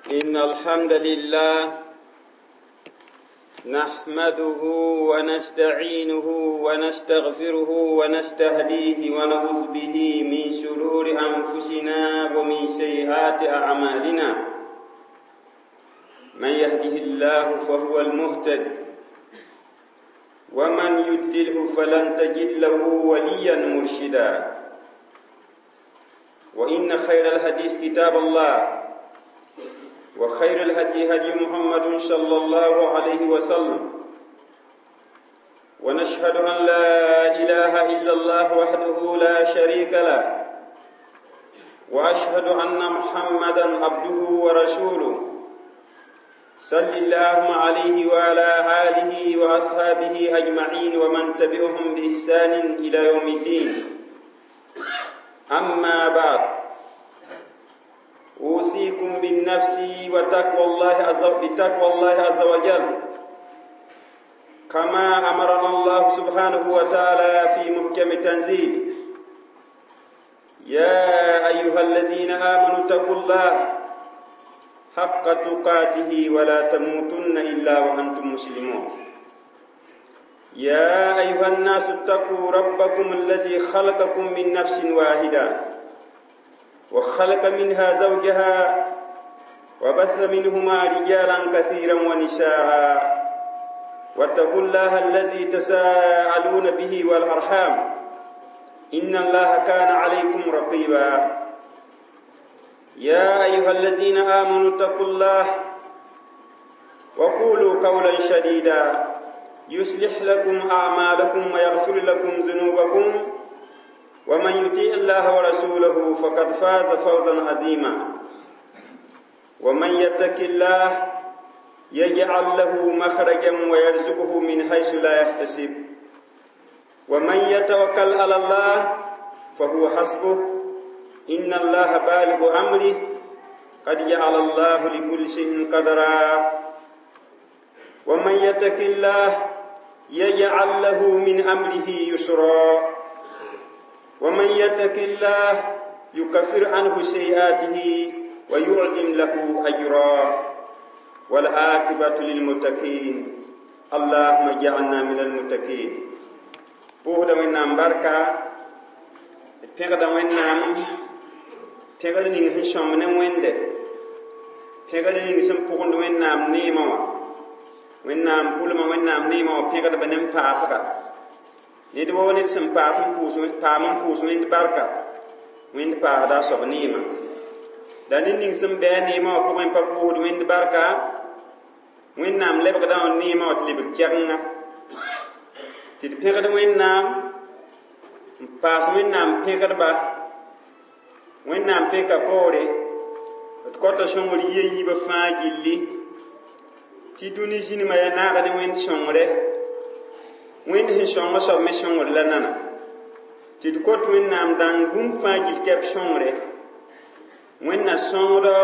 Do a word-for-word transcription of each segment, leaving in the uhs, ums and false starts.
إن الحمد لله نحمده ونستعينه ونستغفره ونستهديه ونعوذ به من شرور أنفسنا ومن سيئات أعمالنا. من يهده الله فهو المهتد، ومن يضلله فلن تجد له وليا مرشدا. وإن خير الحديث كتاب الله، وخير الهدي هدي محمد صلى الله عليه وسلم، ونشهد أن لا إله إلا الله وحده لا شريك له، وأشهد أن محمدا عبده ورسوله. صل اللهم عليه وعلى آله وأصحابه أجمعين ومن تبعهم بإحسان إلى يوم الدين. أما بعد، أوصيكم بالنفس وتقوى الله عز بتقوى الله عز وجل، كما أمرنا الله سبحانه وتعالى في محكم تنزيل: يا أيها الذين آمنوا اتقوا الله حق تقاته ولا تموتن إلا وأنتم مسلمون. يا أيها الناس اتقوا ربكم الذي خلقكم من نفس واحدة، وخلق منها زوجها، وبث منهما رجالا كثيرا ونساء، واتقوا الله الذي تساءلون به والأرحام، إن الله كان عليكم رقيبا. يا أيها الذين آمنوا اتقوا الله وقولوا قولا شديدا، يصلح لكم أعمالكم ويغفر لكم ذنوبكم، ومن يطيع الله ورسوله فقد فاز فوزا عظيما. ومن يتق الله يجعل له مخرجا ويرزقه من حيث لا يحتسب، ومن يتوكل على الله فهو حسبه، إن الله بالغ أمره، قد جعل الله لكل شيء قدرا. ومن يتق الله يجعل له من أمره يسرا، ومن يتق الله يكفر عنه سيئاته ويعظم له أجرا. والعاقبة للمتقين، اللهم اجعلنا من المتقين. بوهدا وين بركة pẽgda Wẽnnaam, pẽgr ning sẽn sõmb ne Wẽnde, pẽgr ning sẽn pʋgend Wẽnnaam neemã wã, Wẽnnaam pʋlmã, Wẽnnaam neemã wã pẽgdba ne n paasga. Ned woo ned sẽn paas n pʋʋs, paam n pʋʋs Wẽnd barka, Wẽnd paasda a soab neemã. La ned ning sẽn bɩ a neemã wã pʋgẽ pa pʋʋsd Wẽnd barka, Wẽnnaam lebgda wã neemã wã tɩ lebg kɛgenga. Tɩ d pẽgd Wẽnnaam, n paas Wẽnnaam pẽgdba, Wẽnnaam pẽka poore, d kota sõngr yia yiibã fãa gilli, tɩ dũni zĩnimã yaa naag ne Wẽnd sõngre. Wẽnd sẽn sõng a soab me sõngr la nana. Tɩ d kot Wẽnnaam dãng bũmb fãa gill kɛp sõngre. Wẽnna sõngdɔ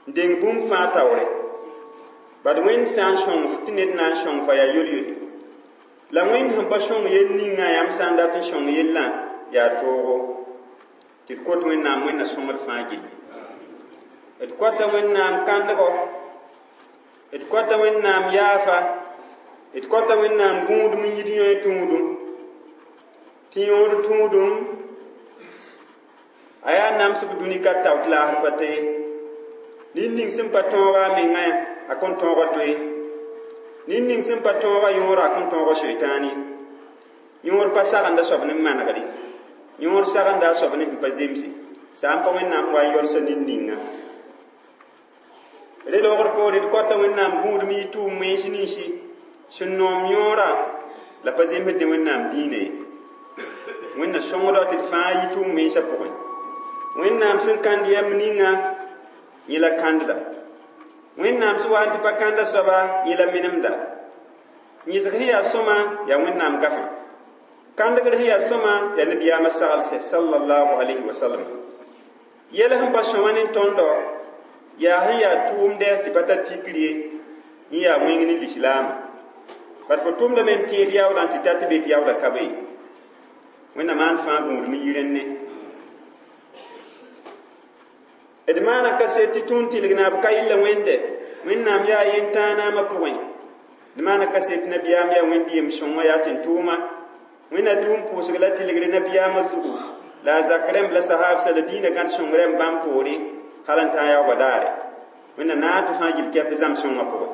n deng bũmb fãa taoore. Bad Wẽnd sã n sõng tɩ ned na n sõng fa yaa yol-yoli. La Wẽnd sẽn pa sõng yell ninga yãmb sã n dat n sõng yellã yaa toogo. Tɩ d kot Wẽnnaam Wẽnna sõngd fãa gilli. D kota Wẽnnaam kãndgo, d kota Wẽnnaam yaafa, d kota Wẽnnaam gũudum n yid yõe tũudum. Tɩ yõod tũudum a yaa namsg dũni ka tao tɩ laasd pa tee. Ned ning sẽn pa tõoga a mengã a kõn tõoga toe. Ned ning sẽn pa tõoga yõora a kõn tõoga soetãan ye. Yõod pa sagenda soab ne manegre. Yõod sagenda a soab ne sẽn pa zemse. Sã n pa Wẽnnaam wa n yɔlsa ned ninga. Re loogr poore d kota Wẽnnaam gũudum yɩ tʋʋm wẽns ninsi sẽn noom yõorã la pa zemsd ne Wẽnnaam dĩinã ye. Wẽnna sõngdɔ tɩ d fãa yɩ tʋʋm wẽnsã pʋgẽ. Wẽnnaam sẽn kãnd yɛm ninga yẽ la kãndda. Wẽnnaam sẽn wa n tɩ pa kãnda soaba yẽ la menemda. Yẽsg sẽn yaa sõma yaa Wẽnnaam gafã. Kãndgr sẽn yaa sõma yaa nabiyaamã saglsɛ sallallahu alayhi wa sallam. Yɛl sẽn pa sõma ne tõndɔ yaa sẽn yaa tʋʋmdɛ tɩ pa tar tikr ye, yẽ yaa wẽng ne lislaam. Bad fo tʋʋmdame n tẽed yaoodã tɩ ta tɩ be tɩ yaoodã ka be. Wẽnnaam maan fãa gũudum n yi rẽnne. D maana kaset tɩ tũud tɩlg naab ka yella wẽnde wẽnnaam yaa yentãanaamã pʋgẽ d maana kaset nabiyaam yaa wẽnd yem-sõngã yaa tẽn-tʋʋma wẽnna dũum pʋʋsg la tɩlgre nabiyaamã zugu la a zak rẽmb la sahaabsa la dĩinã gãd sõng rẽmb bãmb poore hal n tã yaoogã daare wẽnna naag tɩ fãa gill kɛp zãm-sõngã pʋgẽ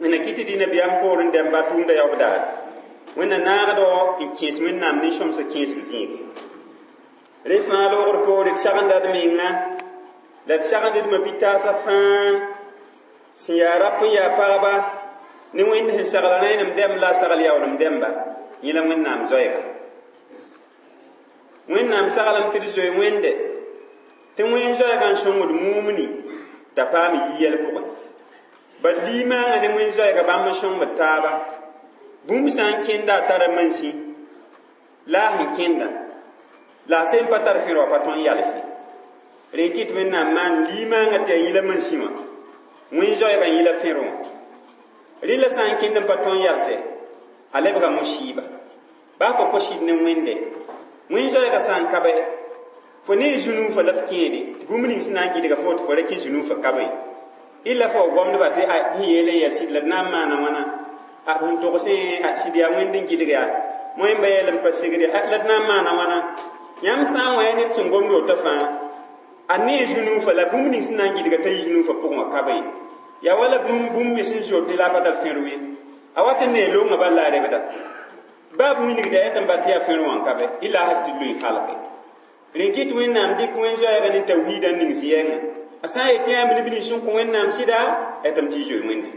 wẽnna kɩ tɩ dĩ nabiyaam poor n dɛmba tʋʋmda yaoog daare wẽnna naagdo n kẽes wẽnnaam nin-sõmsã kẽesg zĩiga rẽ fãa loogr poore d sagenda d menga la d sagend d mabitaasã fãa sẽn yaa rap n yaa pagba ne wẽnd sẽn sagl rẽenem dɛmb la a sagl yaoolem dɛmba yẽ la wẽnnaam zoɛɛga wẽnnaam saglem tɩ d zoe wẽnde tɩ wẽn zoɛɛgã n sõngd mumni t'a paam yiyɛl pʋgẽ bad limaangã ne wẽn zoɛɛga bãmb n sõngd taaba bũmb sã n kẽnda a tara mansẽ la a sẽn kẽnda la a sẽn pa tar fẽr wã pa tõe n yalse rẽ kɩt wẽnnaam maan limaangã tɩ a yĩla mansẽ wã wẽn zoɛɛgã yĩla fẽr wã rɩla sã n kẽnd n pa tõe n yalse a lebga musɩɩba baa fo kos-sɩd ne wẽnde wẽn zoɛɛgã sã n ka bɛ fo ne zũnuufã la f kẽede tɩ bũmb ning sẽn na n gɩdga fo tɩ fo ra kẽ zũnuufã ka be illa fo gomdba tɩ a sẽn yeel n yaa sɩd la d na n maana wãna a sẽn togsẽ a sɩd yaa wẽnd n gɩdg yaa moẽmba yɛl n pa segd la d na n maana wãna yãmb sã n wã ned sẽn gomd woto fãa a ne zũnuufã la bũmb ning sẽn na n gɩdga t'a yi zũnuufã pʋgẽ wã ka be yaa wala bũmb bũmb me sẽn zote la a pa tar fẽr ye a wat n nee loongã bal la a rebda baa b wilgda yaa tɩ n bat tɩ yaa fẽr wã n ka be illa a has tɩ loe halke rẽ kɩt wẽnnaam dɩk wẽn zoɛɛga ne tawhiidã n ning zɩ-yɛngã a sã n yetɩ yãmb neb nins sẽn kõ wẽnnaam sɩda tɩ m tɩ zoe wẽnde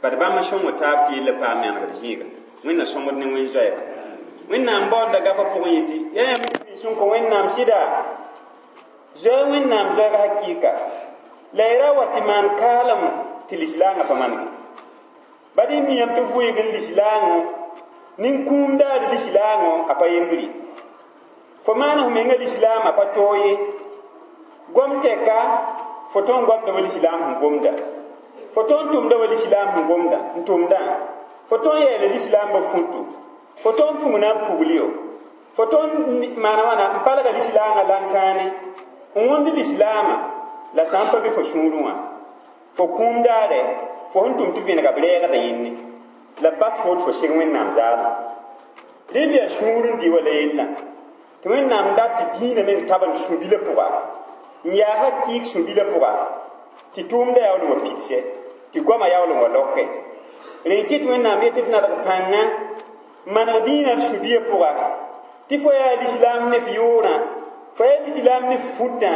bad bãmb n sõng taab tɩ yella paam manegd zĩiga wẽnna sõngd ne wẽn zoɛɛga wẽnnaam baoonda gafã pʋgẽ yetɩ yaa yãmb neb nins sẽn kõ wẽnnaam sɩda zoɛ wẽnnaam zoɛɛga hakɩɩka la y ra wa tɩ maan kaalem tɩ lislaangã pa manege bad y miyame tɩ vʋɩg n lislaangõ nin-kũum daar lislaangõ a pa yembre fo maan f menga lislaam a pa toog ye gom tɛka fo tõn gomda wa lislaam sẽn gomda fo tõn tʋmda wa lislaam sẽn gomda n tʋmdã fo tõn yɛɛla lislaam ba futu fo tõn pugna n pugl yo fo tõn maana wãna n palga lislaangã lãn-kãane n wõnd lislaamã la sã n pa be fo sũurẽ wã fo kũum daare fo sẽn tʋm tɩ vẽnega b rɛɛgda yẽnne la bas fo tɩ fo seg wẽnnaam zaadã rel yaa sũur n dɩ wala yella tɩ wẽnnaam dat tɩ dĩinã meng tabend sũ-bilã pʋga n yaa hakɩɩk sũ-bilã pʋga tɩ tʋʋmda yaool n wa pidsɛ tɩ goamã yaool n wa loke rẽ kɩt wẽnnaam yetɩ d nadg pãnga maneg dĩinã d sũ-biã pʋga tɩ fo yaa lislaam ne f yʋʋrã fo yaa lislaam ne f futã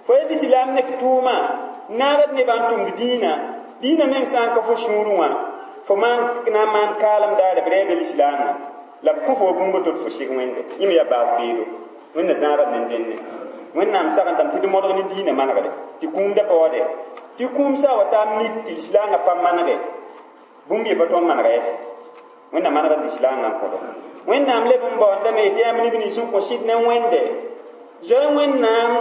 fo yaa lislaam ne f tʋʋmã naagd nebã n tʋmd dĩinã dĩinã meng sã n ka fo sũurẽ wã fo maan na n maan kaalem daare b rɛɛda lislaamã la b kõ fo wa bũmb to tɩ fo seg wẽnde yẽ me yaa baas beedo wẽnna zãagd ne dẽnne wẽnnaam sagendame tɩ d modg ne dĩinã manegde tɩ kũumda pa wa dɛ tɩ kũum sã wa taa mik tɩ lislaangã pa manege bũmb ye pa tõnd manega yɛse wẽnna manegd lislaangã n kõdo wẽnnaam leb n baoondame tɩ yãmb neb nins sẽn kõ sɩd ne wẽnde zoe wẽnnaam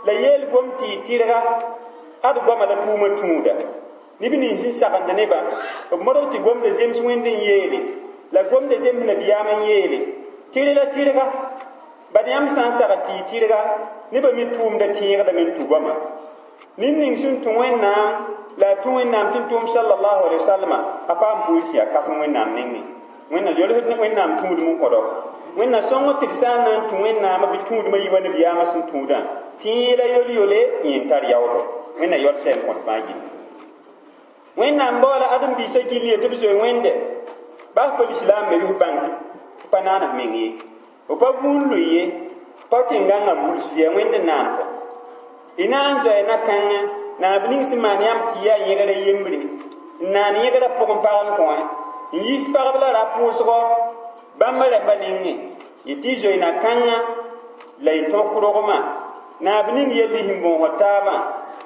la yeel gom tɩ y tɩrga ad goama la tʋʋmã tũuda neb nins sẽn sagend nebã b modg tɩ gomda zems wẽnd n yeele la gomda zems nabiyaam n yeele tɩr la tɩrga bad yãmb sã n sagd tɩ y tɩrga nebã me tʋʋmda tẽegdame n tũ goama ned ning sẽn tũ wẽnnaam la a tũ wẽnnaam tɩ n tʋʋm sallallahu alaihi wasallam a paam pʋʋr sẽn yaa kãsem wẽnnaam nengẽ wẽnna yolsd wẽnnaam tũudem n kõdɔ wẽnna sõng tɩ d sã n na n tũ wẽnnaamã bɩ tũudmã yi wa nabiyaamã sẽn tũudã tɩ la yol-yole yẽ n tar yaoodo wẽnna yɔlsɛ n kõt fãa gilli wẽnnaam baoola ãdem-biisã gill ye tɩ b zoe wẽnde baa pa lislaam me bɩ f bãng tɩ pa naan f meng ye f pa vũun lʋɩ ye pa tẽn-gãngã buls yaa wẽnd n naan fo y na n zoɛ na-kãngã naab ning sẽn maan yãmb tɩ yaa yẽgrã yembre n naan yẽgrã pʋgẽ pagl kõ n yiis pagb la rap wʋsgɔ bãmb rɛmbã nengẽ yetɩ y zoe na-kãngã la y tõk rogmã naab ning yell y sẽn bõosd taabã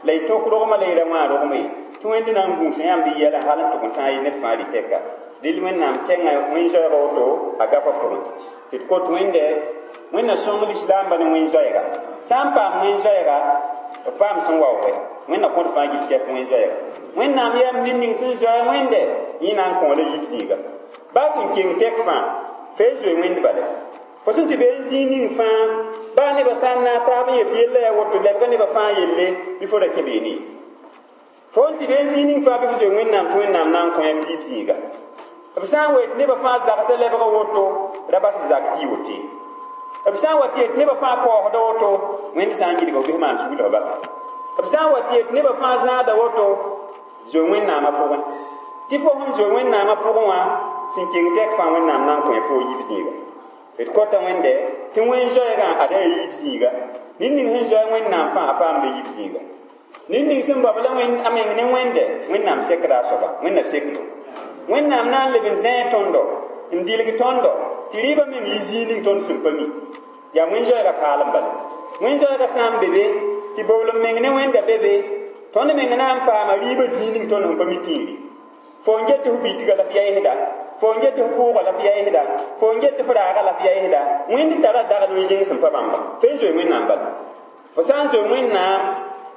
la y tõk rogmã la y ra wã rogma ye tɩ wẽnd na n gũus yãmb y yɛla hal n tʋg n tãag ned fãa rɩ-tɛka rel wẽnnaam kɛngã wẽn zoɛɛga woto a gafa pʋgẽ tɩ d kot wẽnde wẽnna sõng lislaambã ne wẽn zoɛɛga sã n paam wẽn zoɛɛga b paam sẽn waoogɛ wẽnna kõt fãa gill kɛp wẽn zoɛɛga wẽnnaam yam ned ning sẽn zoɛ wẽnde yẽ na n kõ la yib zĩiga baa sẽn keng tɛk fãa fa y zoe wẽnd bale Fo sẽn tɩ be n zĩig ning fãa baa nebã sã n naag taab n yet yella yaa woto lebga nebã fãa yelle bɩ fo ra kẽ beene ye. Fo n tɩ be n zĩig ning fãa bɩ fo zoe Wẽnnaam tɩ Wẽnnaam na n kõ f yiib zĩiga. B sã n wa yet nebã fãa zagsã lebga woto ra bas b zak tɩ y woto ye. B sã n wa tɩ yet nebã fãa kaoosda woto Wẽnd sã n gilga f bɩ f maan sugl f basa. B sã n wa tɩ yet nebã fãa zãada woto zoe Wẽnnaamã pʋgẽ. Tɩ fo sẽn zoe Wẽnnaamã pʋgẽ wã sẽn keng tɛk fãa Wẽnnaam na n kõ fo yiib zĩiga. D kota Wẽnde tɩ wẽn zoɛɛgã ad yaa yiib zĩiga. Ned ning sẽn zoɛ Wẽnnaam fãa a paamda yiib zĩiga. Ned ning sẽn bao la a meng ne Wẽnde Wẽnnaam sekda a soaba Wẽnna sekdo. Wẽnnaam na n leb n zẽe tõndo n dilg tõndo tɩ rɩɩbã meng yɩ zĩig ning tõnd sẽn pa mi. Yaa wẽn zoɛɛgã kaalem bala. Wẽn zoɛɛgã sã n be be tɩ boolem meng ne Wẽnda be be tõnd meng na n paama rɩɩbã zĩig ning tõnd sẽn pa mi tĩiri. Fo n get tɩ f bitga la f yaɩsda, fo n get tɩ f pʋʋga la f yaɩsda, fo n get tɩ f raaga la f yaɩsda, Wẽnd tara dag noor zĩng sẽn pa bãmba. Fo n zoe Wẽnnaam bala. Fo sã n zoe Wẽnnaam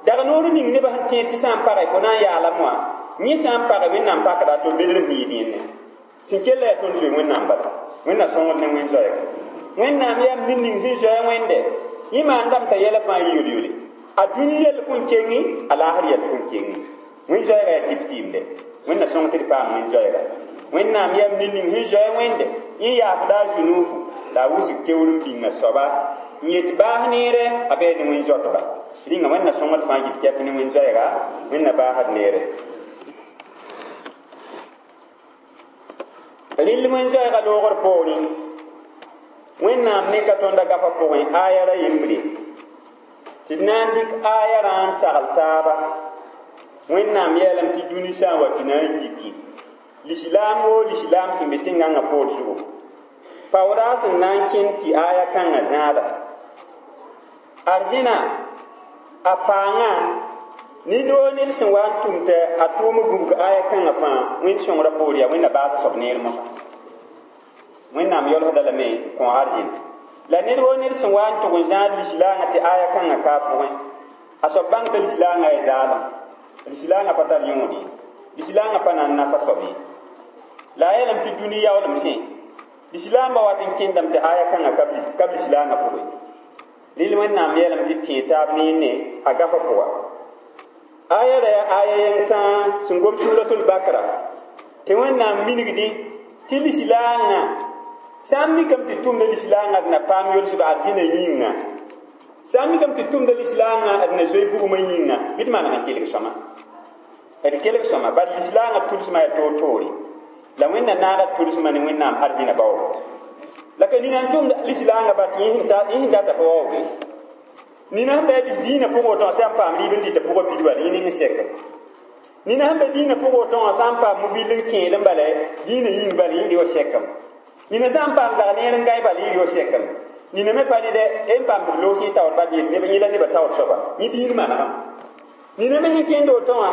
dag noor ning nebã sẽn tẽed tɩ sã n pagɛ fo na n yaalame wã yẽ sã n pagɛ Wẽnnaam pakda a to bedr sẽn yɩ dẽnne. Sẽn kell yaa tõnd zoe Wẽnnaam bala. Wẽnna sõngd ne wẽn zoɛɛga. Wẽnnaam yaa ned ning sẽn zoɛ Wẽnde yẽ maandame t'a yɛla fãa yɩ yol-yole. A dũni yɛl kõn kengi a laasr yɛl kõn kengi. Wẽn zoɛɛga yaa tɩp tɩɩmde. Wẽnna sõng tɩ d paam wẽn zoɛɛga. Wẽnnaam yaa ned ning sẽn zoɛ Wẽnde yẽ yaafda a zu-nuufu la a wʋsg keoor n bĩnga soaba n yet baas neere a bɩ ne wẽn zoatba. Rĩnga Wẽnna sõngd fãa gil kɛp ne wẽn zoɛɛga Wẽnna baasd neere. Rɩl wẽn zoɛɛga loogr poorẽ Wẽnnaam neka tõnda gafã pʋgẽ aya ra yembre tɩ d na n dɩk aya rã n sagl taaba. Wẽnnaam yeelame tɩ dũni sã n wa tɩ na n yiki lislaam woo lislaam sẽn be tẽn-gãngã poor zugu paooda sẽn na n kẽnd tɩ aya kãngã zãada. Arzẽna a paangã ned woo ned sẽn wa n tʋm tɩ a tʋʋm gũbg aya kãngã fãa Wẽnd sõngrã poor yaa Wẽnna baasa soab neer mosã. Wẽnnaam yolsda lame n kõ arzẽn. La ned woo ned sẽn wa n tʋg n zãad lislaangã tɩ aya kãngã ka a pʋgẽ a soab bãng t'a lislaangã yaa zaalem. Lislaangã pa tar yõod ye. Lislaangã pa na n nafa soab ye. La a yeelame tɩ dũni yaoolem sẽ lislaambã wat n kẽndame tɩ aya kãngã ka b lislaangã pʋgẽ. Rɩl Wẽnnaam yeelame tɩ tẽe taab ne yẽne a gafã pʋga. Aya ra yaa aya yẽng tãa sẽn gom suratul Bakra tɩ Wẽnnaam minigdẽ tɩ lislaangã sã n mikame tɩ tʋmda lislaangã d na paam yolsg arzẽna yĩnga, sã n mikame tɩ tʋmda lislaangã d na zoe bugmã yĩnga bɩ d maneg n kelg sõma. D kelg sõma bala lislaangã tʋlsmã yaa toor-toore la Wẽnna naaga tʋlsmã ne Wẽnnaam arzẽna baoogo. La ka nina n tʋmd lislaangã bat yẽ sẽn data pa waooge. Nina sẽn be lis dĩinã pʋgẽ woto wã sã n paam rɩɩb n dɩta pʋgã pid bala yẽ ning n sɛka. Nina sẽn be dĩinã pʋgẽ woto wã sã n paam mobil n kẽed n bala dĩinã yĩng bala yẽ rɩ wa sɛkame. Nina sã n paam zag neer n gãe bala yẽ rɩ wa sɛkame. Nina me pa ned n paam tɩ b loos yẽ taoor bat yel yẽ la nebã taoor soaba yẽ dĩin manegame. Nina me sẽn kẽnd woto wã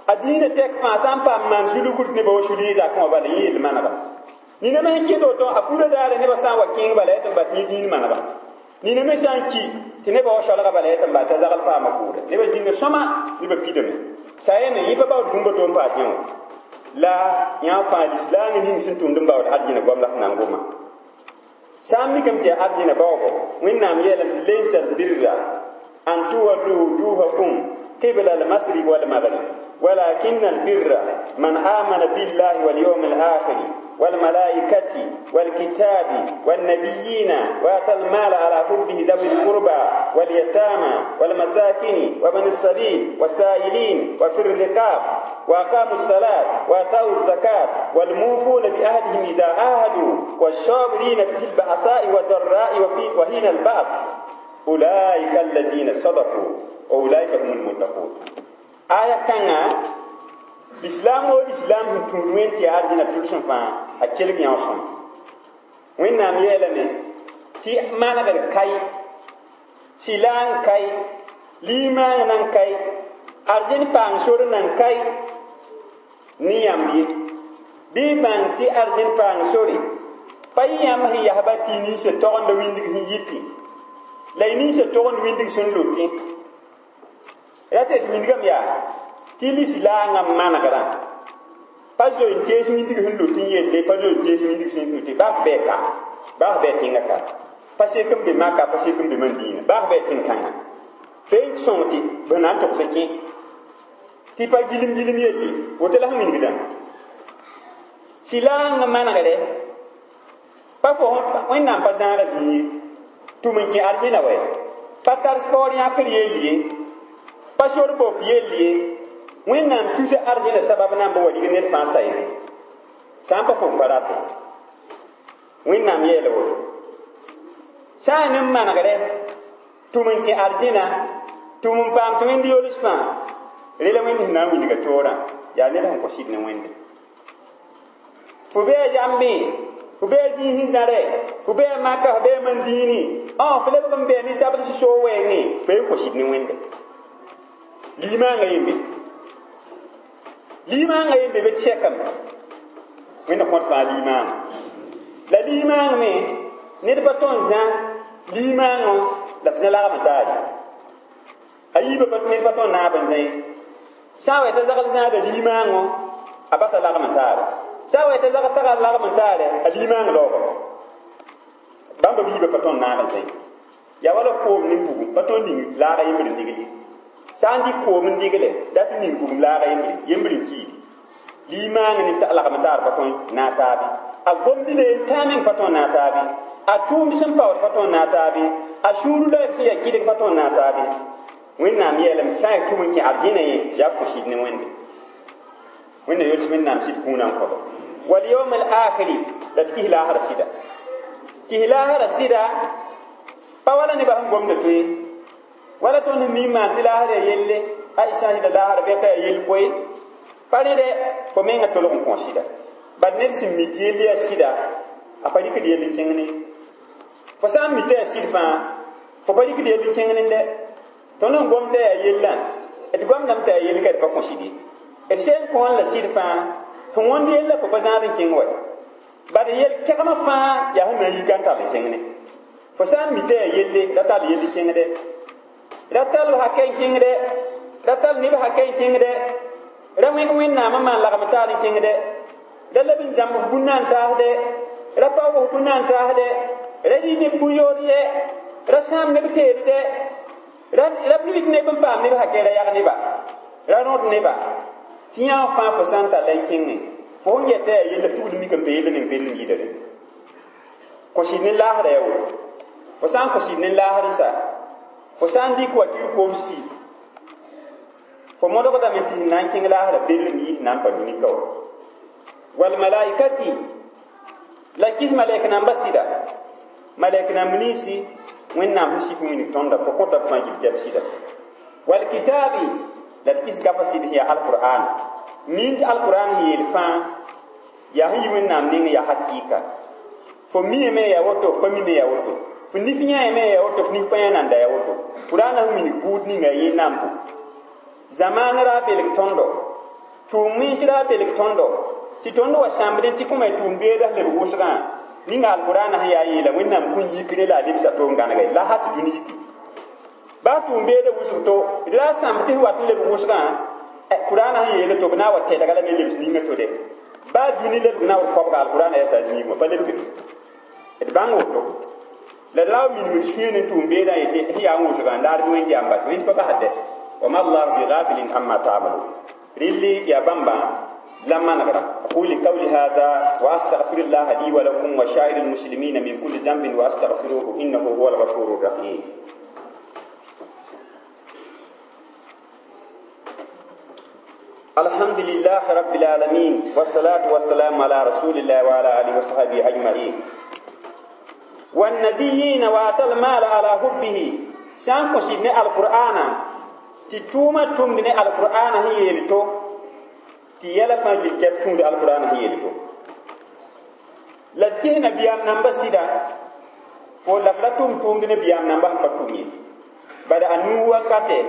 a dĩinã tɛk fãa sã n paam maan zulugd nebã wa sul yẽ zakẽ wã bala yẽ yel manegame. Nina me sẽn kẽnd woto a furã daare nebã sã n wa kẽeng bala yaa tɩ n bat yẽ dĩin manegame. Nina me sã n ki tɩ nebã wa soalga bala yaa tɩ n bat t'a zagl paama kʋʋda. Nebã zĩnga sõma nebã pidame. Sayame yẽ pa baood bũmb to n paas yẽ wã. La yã fãa lislaangã ning sẽn tʋmd n baood arzẽna goam la f na n goma. Sã n mikame tɩ yaa arzẽna baoogo Wẽnnaam yeelame tɩ laysa albirra an tuwallu wujuhakum qibla almasriq walmaghrib ولكن البر من آمن بالله واليوم الآخر والملائكة والكتاب والنبيين وآتى المال على حبه ذوي القربى واليتامى والمساكين وابن السبيل والسائلين وفي الرقاب وأقاموا الصلاة وآتوا الزكاة والموفون بعهدهم إذا عاهدوا والصابرين في البأساء والضراء وفي وحين البأس أولئك الذين صدقوا وأولئك هم المتقون. Aya kãngã lislaam woo lislaam sẽn tũud wẽnd tɩ arzẽna tʋlsem fãa a kelg yão sõm. Wẽnnaam yeelame tɩ manegr kai, sɩla n kai, limaang nan kai, arzẽn paang sor nan kai ne yãmb ye. Bɩ bãng tɩ arzẽn paang sore pa yẽ yãmb sẽn yasba tɩ y ninsã togenda wĩndg sẽn yitẽ la y ninsã togend wĩndg sẽn lotẽ. Ra tɩ tɩ wĩndgame yaa tɩ lislaangã manegrã pa zoe n tees wĩndg sẽn lot n yelle pa zoe n tees wĩndg sẽn lote baa f bɩ ka baa f bɩ tẽngã ka. Pa sek n be Maka, pa sek n be Madina. Baa f bɩ tẽn-kãngã. Fe n sõng tɩ b na n togs kẽ. Tɩ pa gilim gilim yelle, woto la sẽn wilgdã. Sɩlaang n manegre, pa fo Wẽnnaam pa zãaga zĩig ye. Tʋm n kẽ arzẽna wɛ. Pa tar sport yãkr yell ye. Pa sor bop yell ye. Wẽnnaam tusa arzẽna sabab na n ba wa rig ned fãa sayre. Sã n pa fo n pa rate. Wẽnnaam yeela woto. Sã n n manegre, tʋm n kẽ arzẽna, tʋm n paam tɩ Wẽnd yols fãa, rela Wẽnd sẽn na n wilga toorã, yaa ned sẽn kõ sɩd ne Wẽnde. Fo bɩ a zãmbẽ, fo bɩ a zĩig sẽn zãrɛ, fo bɩ a Maka, fo bɩ a Mandini, õ fo lebg n bɩ a ninsabd sẽn soog wɛɛngẽ, fo n kõ sɩd ne Wẽnde. Limaangã yembe. Limaangã yembe bɩ tɩ sɛkame. Wẽnd kõt fãa limaangã. La limaang me, ned pa tõe n zã limaangã la f zã lagm n taare. A yiibã ned pa tõe n naab n zã ye. Sã n wa t'a zagl zãada limaangã, a basa lagm n taare. Sã n wa t'a zagl taga lagm n taare, a limaang laoogame. Bãmba biibã pa tõe n naab n zã ye. Yaa wala koom ne bugum, pa tõe n ning laaga yembr n digle. Sã n dɩk koom n digle, dat n ning bugum laaga yembre, yembr n kiidi. Limaang ne lagm n taar pa tõe n naag taabe. A gomdine tãa meng pa tõe n naag taabe. A tʋʋmd sẽn paood pa tõe n naag taabe. A sũur la sẽn yaa kɩdg pa tõe n naag taabe. Wẽnnaam yeelame tɩ sã n yaa tʋm n kẽ arzẽna ye, yaa f kõ sɩd ne Wẽnde. Wẽnna yols Wẽnnaam sɩd kũunã n kõba. Wal yawm al akhiri, la tɩ kis laasra sɩda. Kis laasra sɩda, pa wala nebã sẽn gomda tõe. Wala tõnd sẽn mi n maan tɩ laasra yaa yelle, a sã n sɩda laasra bɩ ka yaa yell koe. Pa rẽde, fo mengã tolg n kõ sɩda. Bad ned sẽn mi tɩ yell yaa sɩda, a pa rɩkd yell n kẽng ne. Fo sã n mi tɩ yaa sɩd fãa, fo pa rɩkd yell n kẽng nende. Tõnd n gom t'a yaa yellã, d gomdame t'a yaa yell ka d pa kõ sɩd ye. D sẽn kõon la sɩd fãa, sẽn wõnd yella fo pa zãad n kẽng wa. Bad yel kɛgmã fãa yaa sẽn na n yika n tall n kẽng ne. Fo sã n mi t'a yaa yelle, ra tall yell n kẽngde. Ra tall hakɛ n kẽngde, ra tall neb hakɛ n kẽngde, ra wẽg Wẽnnaam n maan lagm taar n kẽngde, ra leb n zãmb f bũnna n taasde, ra paoog f bũnna n taasde, ra rɩ neb bũ-yood-dɛ, ra sãam neb teedde, ra rɩt neb n paam neb hakɛ ra yag neba, ra rõd neba. Tɩ yã fãa fo sã n talla n kẽngẽ, fo sẽn yɛta yaa yella, f tugd mik n pa yella ning bell n yɩɩda rẽnda. Kõ sɩd ne laasra yaa woto. Fo sã n kõ sɩd ne laasr n sa, fo sã n dɩk wakir kobsi, fo modgdame tɩ sẽn na n kẽng laasra bell n yiis na n pa dũni ka wa. Wal malaikati, la kis malɛk namba sɩda. Malɛk namb ninsi Wẽnnaam sẽn sif n wilg tõnda, fo kõta b fãa gil tɩ b sɩda. Wal kitaabi, la d kis gafa sɩd sẽn yaa alqur'an. Miin tɩ alqur'an sẽn yeel fãa, yaa sẽn yi Wẽnnaam nengẽ yaa hakɩɩka. Fo miame yaa woto, fo pa mime yaa woto. Fo nif yãame yaa woto, fo nif pa yã nanda yaa woto. Qur'an sẽn wilg buud ninga yẽ nambo. Zamaan ra belg tõndo, tʋʋm wẽns ra belg tõndo, tɩ tõnd wa sãmbdẽ tɩ kõma tʋʋm beeda sẽn lebg wʋsgã, ninga alqur'an sẽn yaa yeela Wẽnnaam kũn yikre la a lebsa to n gãnege, la hat dũni yiki. Baa tʋʋm beeda wʋsg to, d ra sãmb tɩ sẽn wat n lebg wʋsgã, Qur'an sẽn yeela to b na n wa tɛdga lame n lebs ninga to de. Baa dũni lebg na n wa koabga alqur'an yaa saa zĩigẽ wã, pa lebgde. D bãng woto. La d ra wa minimd sũyẽ ne tʋʋm beedã n yetɩ sẽn yaa n wʋsgã n laad bɩ Wẽnd yam bas, Wẽnd pa basd. Wa ma Allahu bighafilin amma ta'malun. Rɩlli yaa bãmba la manegra. أقول قولي هذا وأستغفر الله لي ولكم وسائر المسلمين من كل ذنب وأستغفروه إنه هو الغفور الرحيم. الحمد لله رب العالمين والصلاة والسلام على رسول الله وعلى آله وصحبه أجمعين. والنبيين وآتى المال على حبه سان قصدنا القرآن تتوما تومدنا القرآن هي يلتو تيالا فانجل كيف القرآن هي يلتو لذكه نبيام نمبر سيدا فو لفرتوم تومدنا بيام نمبر بطومي بعد أنو وقته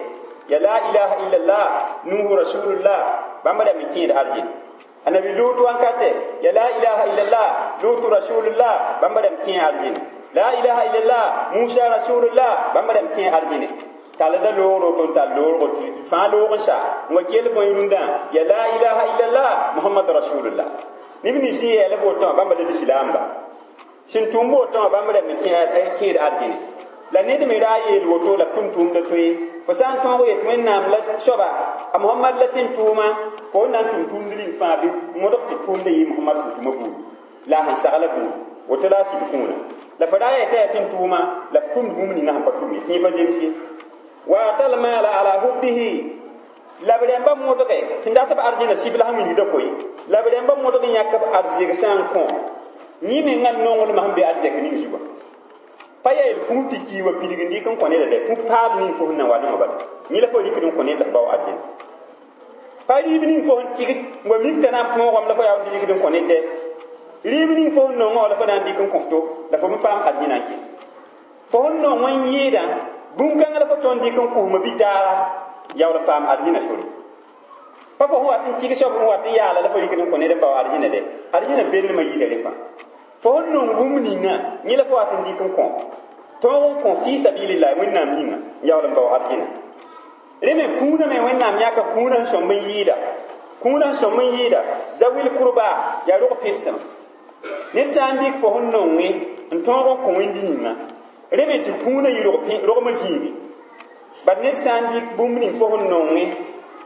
يا لا إله إلا الله نوح رسول الله بامدا مكين أرجل النبي لوط وانكته يا لا إله إلا الله لوط رسول الله بامدا مكين أرجل لا إله إلا الله موسى رسول الله بامدا مكين أرجل تالدا لورو تون تال لورو فان لورو سا وكيل بويروندا يا لا إله إلا الله محمد رسول الله نبني سي يا لبوتون بامدا الإسلام با Sẽn tʋm woto wã bãmb rẽmb kẽed arzẽne la ned me ra yeel woto la f tʋm tʋʋmda toe fo sã n tõog yet wẽnnaam la soaba a Mohamad la tẽn tʋʋma fo na n tʋm tʋʋmd ning fãa bɩ modg tɩ tʋʋmda yɩ Mohamad sẽn tʋma buud la a sẽn sagla buud woto la a sɩd kũuna la fo ra yeta yaa tẽn tʋʋma la f tʋmd bũmb ninga sẽn pa tʋm ye tɩ yẽ pa zems ye wa atal maala ala hubbihi la b rẽmba modge sẽn dat b arzẽna sif la sẽn wilgda koe la b rẽmba modg yãk b arzeg sã n kõ yẽ mengã nonglmã sẽn be arzɛk ning zugã pa yaa yel fũu tɩ kii wa pidg n dɩk n kõ neda dɛ fũ paal ning fo sẽn na wa nongã bala yẽ la fo rɩkd n kõ ned la f bao arzẽna pa rɩɩb ning fo sẽn tɩgd n wa mik t'a na n põogame la fo yaa n dɩkd n kõ ned dɛ rɩɩb ning fo sẽn nongã la fo na n dɩk n kõ fo la fo me paam arzẽna n kẽ fo sẽn nong n yɩɩdã bũn-kãngã la fo tõnd dɩk n kosmã bi-taaga yaool n paam arzẽna sore pa fo sẽn wat n tɩg soab n wat n yaala la fo rɩkd n kõ ned n bao arzẽna dɛ arzẽna belmã yɩɩda rẽ fãa fo sẽn nong bũmb ninga yẽ la fo wat n dɩk n kõ tõog n kõ fɩ sabilillah wẽnnaam yĩnga n yaool n bao arzẽna rẽ me kũunã me wẽnnaam yãka kũunã sẽn sõmb n yɩɩda kũunã sẽn sõmb n yɩɩda zawil kurba yaa rog pẽdsem ned sã n dɩk fo sẽn nonge n tõog n kõ wẽnd yĩnga rẽ me tɩ kũunã yɩ rogmã zĩigi bad ned sã n dɩk bũmb ning fo sẽn nonge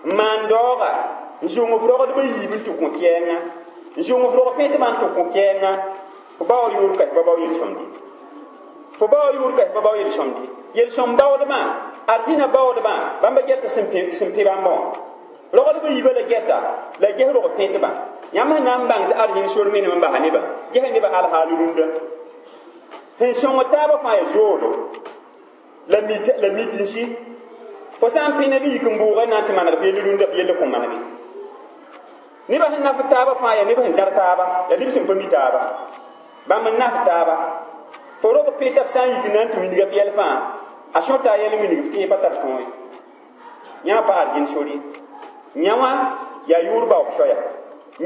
n maan daooga n zʋng f rogdbã yiib n tɩ kõ kɛɛngã n zʋng f rog pẽtbã n tɩ kõ kɛɛngã fo bao yʋʋr ka pa bao yel-sõmde fo bao yʋʋr ka pa bao yel-sõmde yel-sõm baoodmã arzẽna baoodmã bãmba gɛta sẽn pẽ bãmba wã rogdbã yiibã la gɛta la ges rog pẽtbã yãmb sẽn na n bãng tɩ arzẽn sor menem n basa nebã gesa nebã alhaal rũndã sẽn sõng taabã fãa yaa zoodo la la mitinsi fo sã n pẽ ned yik n bʋʋga na n tɩ maneg f yell rũndã f yell kõ manege nebã sẽn naf taabã fãa yaa neb sẽn zãr taaba yaa neb sẽn pa mi taaba bãmb n naf taaba fo rog pẽta f sã n yik na n tɩ wilga f yɛl fãa a sõta a yɛl n wilg f tɩ yẽ pa tar tõe yã pa arzẽn sor ye yã wã yaa yʋʋr baoog soaya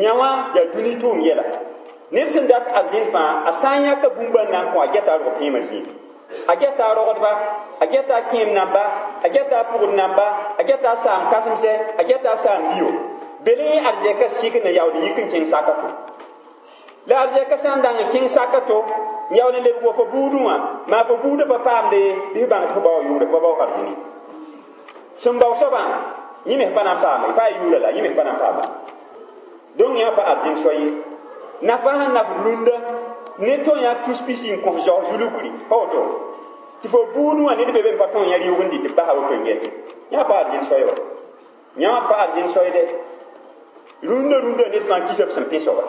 yã wã yaa dũni tʋʋm yɛla ned sẽn dat arzẽn fãa a sã n yãka bũmba n na n kõ a gɛta a rog pẽemã zĩig a gɛta a rogdba a gɛta a kẽem namba a gɛta a pʋgd namba a gɛta a saam kãsemsɛ a gɛta a saam bio bele arzɛka sik n yaool n yik n kẽng saka to la arzɛka sã n dang n kẽng saka to n yaool n lebg wa fo buudẽ wã maa fo buudã pa paamde bɩ f bãng tɩ fo bao yʋʋre fo bao arzẽne sẽn bao soabã yẽ me pa na n paame pa yaa yʋʋra la yẽ me pa na n paame donc yã pa arzẽn soa ye nafa sẽn naf rũndã ne tõe yã tus pisi n kõ f zao zulukri pa woto tɩ fo buudẽ wã ned be be n pa tõe yã rɩʋg n dɩ tɩ basa woto n gɛte yã pa arzẽn soa ye wa yã wã pa arzẽn soa dɛ rũndã rũndã ned fãa kisa f sẽn pẽ soaba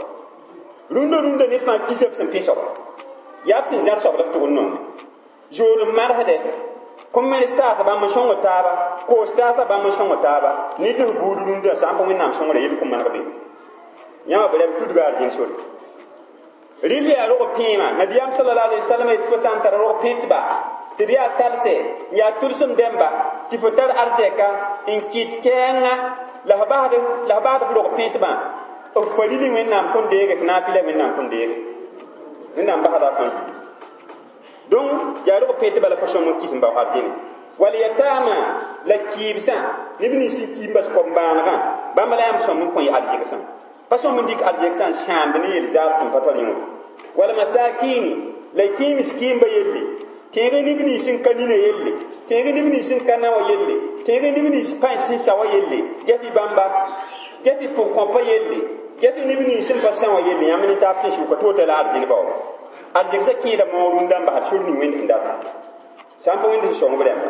rũndã rũndã ned fãa kisa f sẽn pẽ soaba yaa f sẽn zãr soab la f tʋg n nonge zood n marsdɛ kom-mens taasa bãmb n sõng taaba koos taasa bãmb n sõng taaba ned ne f buud rũndã sã n pa wẽnnaam sõngra yel kõ maneg be yãmba b rɛm tudga arzẽn sore rɩl yaa rog pẽema nabiyaam sallallahu alaihi wasallam yetɩ fo sã n tara rog pẽtba tɩ b yaa talsɛ n yaa tʋlsem dẽmba tɩ fo tar arzɛka n kɩt kɛɛngã la f basd la f basd f rog pẽtbã f fa rili wẽnnaam kõn deege f naafɩla wẽnnaam kõn deege wẽnnaam basda fãa gilli donc yaa rog pẽtba la fo sõm n kis n bao arzẽne wal yatama la kɩɩbsã neb nins n kiim bas kom-bãanegã bãmb la yãmb sõm n kõ y arzɛgsã pa sõm n dɩk arzɛgsã n sãamd ne yel-zaal sẽn pa tar yõode wal masakini la y tẽe miskiimba yelle tẽeg neb nins n ka nina yelle tẽeg neb nins n ka na wã yelle tẽeg neb nins pãens sẽn sa wã yelle ges-y bãmba ges-y pʋg-kõpa yelle ges-y neb nins sẽn pa sã wã yelle yãmb ne taab tẽ sʋka tɩ woto la arzẽn baoor arzɛgsã kẽeda moog rũndã n basd sor ning wẽnd sẽn data sã n pa wẽnd sẽn sõng b rãmba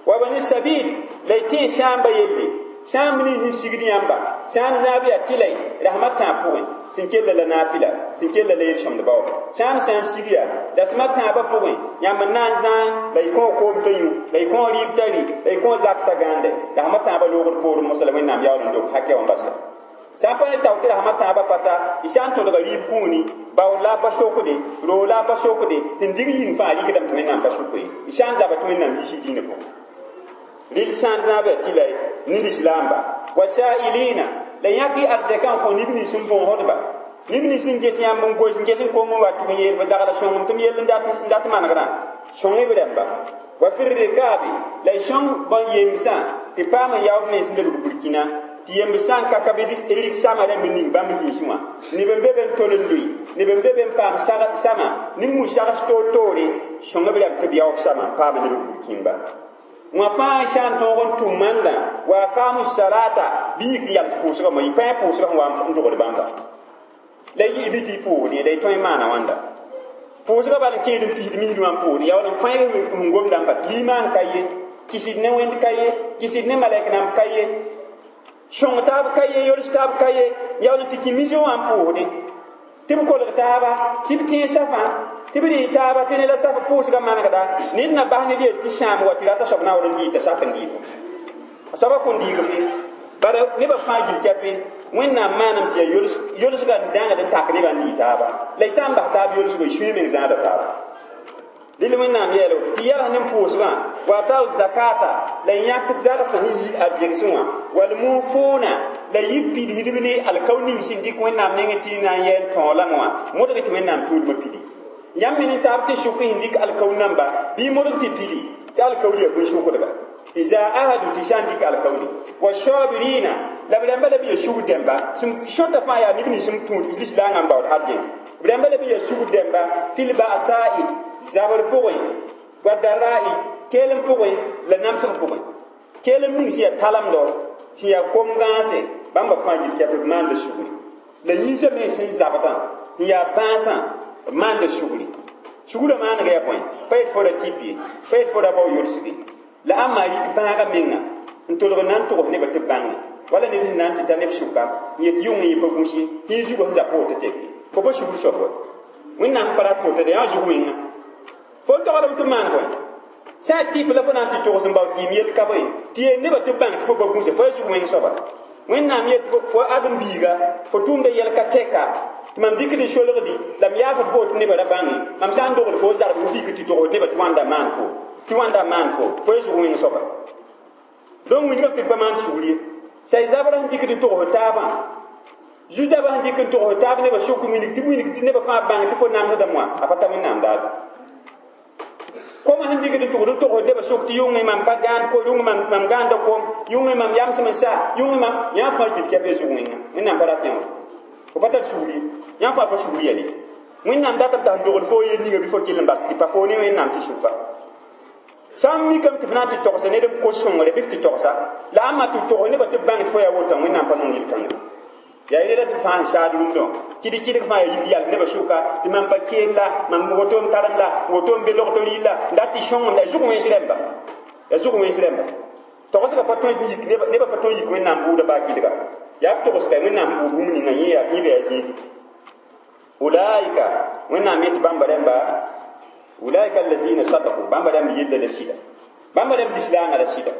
wa bani sabil la y tẽe sãamba yelle sãamb nins n sigd yãmba sã n zãab yaa tɩla rasmã tãab pʋgẽ sẽn kella la naafɩla sẽn kella la yel-sõmd baoob sã n sã n sig yaa rasmã tãabã pʋgẽ yãmb n na n zãa la y kõo koom t'a yũ la y kõo rɩɩb t'a rɩ la y kõo zak t'a gãande rasmã tãabã loogd poorẽ mosã la wẽnnaam yaool n dok hakɛ wã n bas ya sã n pa ne tao tɩ rasmã tãabã pata y sã n tõdga rɩɩb kũuni baood la a pa sokde roog la a pa sokde sẽn dig yĩng fãa rɩkdame tɩ wẽnnaam pa sʋka ye y sã n zaba tɩ wẽnnaam yiis y dĩnã pʋgẽ rɩl sã n zãab yaa tɩla ne lislaamba wa sa'ilina la yãk y arzɛkã n kõ neb nins n bõosdba neb nins n ges yãmb n goes n ges n kong n wa tʋg n yeel fo zagla sõngem tɩ m yell n dat manegrã sõng b rãmba wa fi rikaabi la y sõng bõn yemsã tɩ paam n yaood mens n lebg burkina tɩ yemb sã n ka ka bɩ rik sama rãmb ning bãmb zĩisẽ wã neb n be be n tol n lʋɩ neb n be be n paam sama ne mu-sags toor-toore sõng b rãmb tɩ b yaoog sama n paam neb b burkĩmba wã fãa sã n tõog n tʋm manda wa aqamu salata bɩ yik n yals pʋʋsgã mo yɩ pãe pʋʋsgã sẽn wa n dogd bãmba la y bɩ tɩ y pʋʋsd la y tõe n maana wãnda pʋʋsgã bal n kẽed n pisd misd wã n pʋʋsd yaa wala n fãeg n gomda n bas limaan ka ye kɩsd ne wẽnd ka ye kɩsd ne malɛk nãmb ka ye sõng taab ka ye yols taab ka ye yaa wala tɩ kẽ misg wã n pʋʋsdẽ tɩ b kolg taaba tɩ b tẽeg safã tɩ b rɩ taaba tɩ ned la saf pʋʋsgã manegda ned na bas ned yel tɩ sãam wa tɩ rata soab na n wall n dɩɩta saf n dɩɩfo a soabã kõn dɩɩg fe bara nebã fãa gil kɛpe wẽnnaam maanam tɩ yaa yolsgã n dãngd n tak nebã n dɩɩ taaba la y sã n bas taab yolsgo y sũyã meng zãada taaba dɩl wẽnnaam yeelo tɩ yals ne pʋʋsgã wa tao zakata la yãk zagsã sẽn yi arzegsẽ wã wal mufuuna la yɩ pidsdb ne alkao ning sẽn dɩk wẽnnaam nengẽ tɩ na n yɛ n tõolame wã modg tɩ wẽnnaam tʋʋlmã pidi yãmb me ne taab tɩ sʋk sẽn dɩk alkao namba bɩ modg tɩ pidi tɩ alkaood yaa bũn-sʋkdga iza ahadu tɩ sã n dɩk alkaoodi wa sabirina la b rãmba la b yaa sugr dẽmba sẽn sõta fãa yaa neb nins sẽn tũud lislaangã n baood arzẽn b rãmba la b yaa sugr dẽmba fil ba'sa'i zabr pʋgẽ wa dara'i keelem pʋgẽ la namsg pʋgẽ keelem ning sẽn yaa talemdo sẽn yaa kom gãase bãmba fãa gil kɛp b maanda sugri la yĩnsã me sẽn zabdã n yaa bãasã b maanda sugri sugrã maanega yaa bõe pa yet fo ra tɩp ye pa yet fo ra bao yolsge la ãmba rɩk bãagã menga n tolg n na n togs nebã tɩ b bãnge wala ned sẽn na n tɩ ta neb sʋka n yet yʋng n yẽ pa gũs ye tɩ y zugã sẽn za pʋʋg tɩ tɛk ye fo pa sugr soab wa wẽnnaam pa rat woto yaa zug wẽnga fo n togdame tɩ maan bõe sã n tɩp la fo na n tɩ togs n bao tɩɩm yel ka bõe tɩ yeel nebã tɩ b bãng tɩ fo pa gũse fo ya zug wẽng soaba wẽnnaam yet fo ãdem-biiga fo tʋʋmda yɛl ka tɛka tɩ mam dɩkd n solgdi la m yaafd fo tɩ nebã ra bãnge mam sã n dogl fo zarb fik tɩ togsd nebã tɩ wãnda maan fo tɩ wãnda maan fo fo ya zug wẽng soaba donc wĩnigã tɩ pa maan sugr ye say zabra sẽn dɩkd n togs taabã zu-zabã sẽn dɩk n togs taab nebã sʋk winig tɩ winig tɩ nebã fãa bãng tɩ fo namsdame wã a pa ta wẽnnaam daado koma sẽn dɩkd n tʋgd n togsd nebã sʋk tɩ yʋngẽ mam pa gãand ko yʋngẽ mam gãanda kom yʋngẽ mam yamsem n sa yʋngẽ mam yã fãa gil kɛp ya zug wẽnga wẽnnaam pa rat yã wã fo pa tar sugr ye yã fãa pa sugr yɛl ye wẽnnaam datame t'a sẽn dogl fo yel ninga bɩ fo kell n bas tɩ pa fo ne wẽnnaam tɩ sʋka sã n mikame tɩ f na n tɩ togsa ned n kos sõngre bɩ f tɩ togsa la ãmba tɩ togs nebã tɩ b bãng tɩ fo yaa wotã wẽnnaam pa nong yel-kãngã yaa rela tɩ fãa sẽn saad rũndã kɩd kɩdg fãa yaa yik yals nebã sʋka tɩ mam pa keem la mam woto n tarem la woto n be logd rɩɩl la n dat tɩ sõngem la ya zʋg wẽns rẽmba ya zʋg wẽns rẽmba togsgã pa tõe n yik nebã pa tõe n yik wẽnnaam bʋʋda baa kɩdga yaa f togsga wẽnnaam bʋʋd bũmb ninga yẽ yaa yẽba yaa zĩigi ulaika wẽnnaam yet bãmba rẽmba ulaika allazina sadaku bãmba rãmb yella la sɩda bãmba rãmb lislaangã la sɩda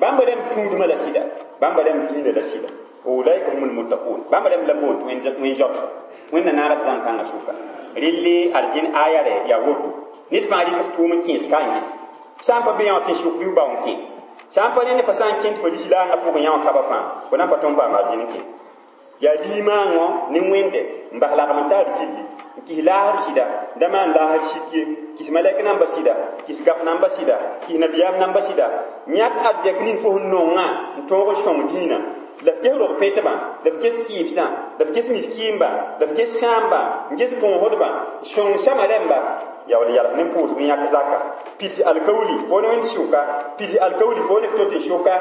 bãmba rãmb tũudmã la sɩda bãmba rãmb dĩinã la sɩda ulaika humul muttaqun bãmba rãmb la boond tɩ wẽn zoabda wẽnna naagd zãn-kãngã sʋka relle arzẽn aya rɛ yaa woto ned fãa rɩk f tʋʋm n kẽes ka n ges sã n pa be yã tɩ sʋk bɩ bao n kẽ sã n pa rẽnd fa sã n kẽnd fo lislaangã pʋgẽ yã wã kaba fãa fo na n pa tõnd paam arzẽn n kẽ yaa limaangõ ne wẽnde n bas lagm n taar gilli n kis laasr sɩda da maan laasr sik ye kis malɛk namba sɩda kis gaf namba sɩda kis nabiyaam namba sɩda yãk arzɛk ning fo sẽn nongã n tõog n sõng dĩinã la f ges rog pẽtbã la f ges kɩɩbsã la f ges miskiimba la f ges sãamba n ges bõosdbã sõng sama rẽmba yaa wall yals ne pʋʋsg n yãk zaka pids alkaooli fo ne wẽnd sʋka pids alkaooli fo ne f tot n sʋka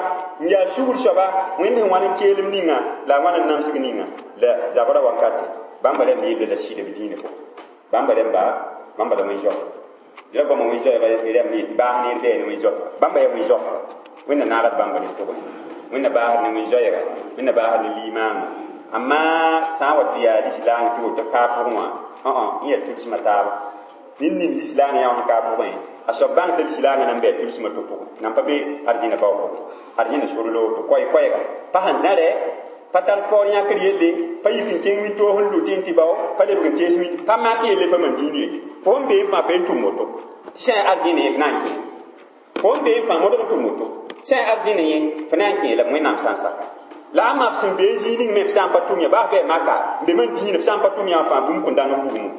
n yaa sugr soaba wẽnd sẽn wãn n keelem ninga la a wãn n namsg ninga la zabra wakate bãmba rẽmb yella la sɩda b dĩinã pʋgẽ bãmba rẽmba bãmba la wẽn zoabã la goamã wẽn zoɛɛga rẽmb yetɩ baas neer bɛɛ ne wẽn zoabã bãmba yaa wẽn zoabã wẽnna naagd bãmba ne tʋgẽ wẽnna baasd ne wẽn zoɛɛga wẽnna baasd ne limaangã amma sã n wa tɩ yaa lislaang tɩ woto kaa pʋgẽ wã n yaa tʋlsmã taaba ned ning lislaangã yã wã sẽn kaa pʋgẽ a soab bãng t'a lislaangã nan bɩ a tʋlsmã to pʋgẽ nan pa be arzẽna bao pʋgẽ arzẽna sor la woto koɛɛ-koɛɛga pa sẽn zãrɛ pa tar spaoor yãkr yelle pa yik n kẽng wĩntoog n lʋ tɩ n tɩ bao pa lebg n tees wĩnd pa mak yelle pa man dĩin yelle fo sẽn bee n fãa fa n tʋm woto tɩ sã n arzẽne yẽ f na n kẽ fo sẽn bee n fãa modg n tʋm woto sã n arzẽne yẽ f na n kẽ la wẽnnaam sã n saka la ãmba f sẽn bee zĩig ning me f sã n pa tʋm yã baa f bɩ maka n be man dĩinã f sã n pa tʋm yã fãa bũmb kõn dãng n bugmo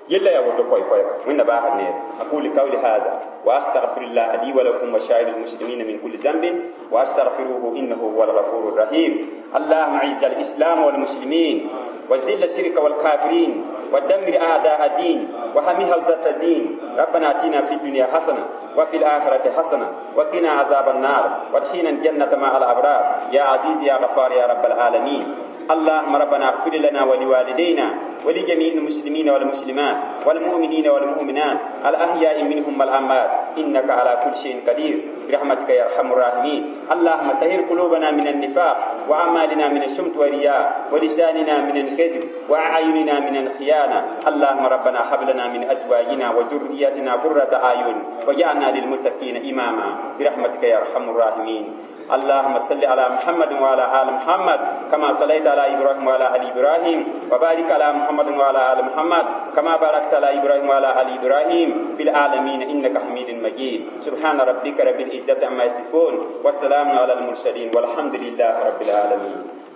Yella yaa woto koy-koɛɛga. Wẽnna baasd neere. أقول قولي هذا وأستغفر الله لي ولكم وسائر المسلمين من كل ذنب وأستغفروه إنه هو الغفور الرحيم. اللهم أعز الإسلام والمسلمين، وذل الشرك والكافرين، ودمر أعداء الدين، واحم حوزة الدين. ربنا آتنا في الدنيا حسنة وفي الآخرة حسنة وقنا عذاب النار، وادخلنا الجنة مع الأبرار، يا عزيز يا غفار يا رب العالمين. اللهم ربنا اغفر لنا ولوالدينا ولجميع المسلمين والمسلمات والمؤمنين والمؤمنات الأحياء منهم والأموات، إنك على كل شيء قدير، برحمتك يا أرحم الراحمين. اللهم طهر قلوبنا من النفاق، وأعمالنا من السمت والرياء، ولساننا من الكذب، وأعيننا من الخيانة. اللهم ربنا هب لنا من أزواجنا وذرياتنا قرة أعين واجعلنا للمتقين إماما، برحمتك يا أرحم الراحمين. اللهم صل على محمد وعلى آل محمد كما صليت على إبراهيم وعلى آل إبراهيم، وبارك على محمد وعلى آل محمد كما باركت على إبراهيم وعلى آل إبراهيم في العالمين إنك حميد مجيد. سبحان ربك رب العزة عما يصفون، والسلام على المرسلين، والحمد لله رب العالمين.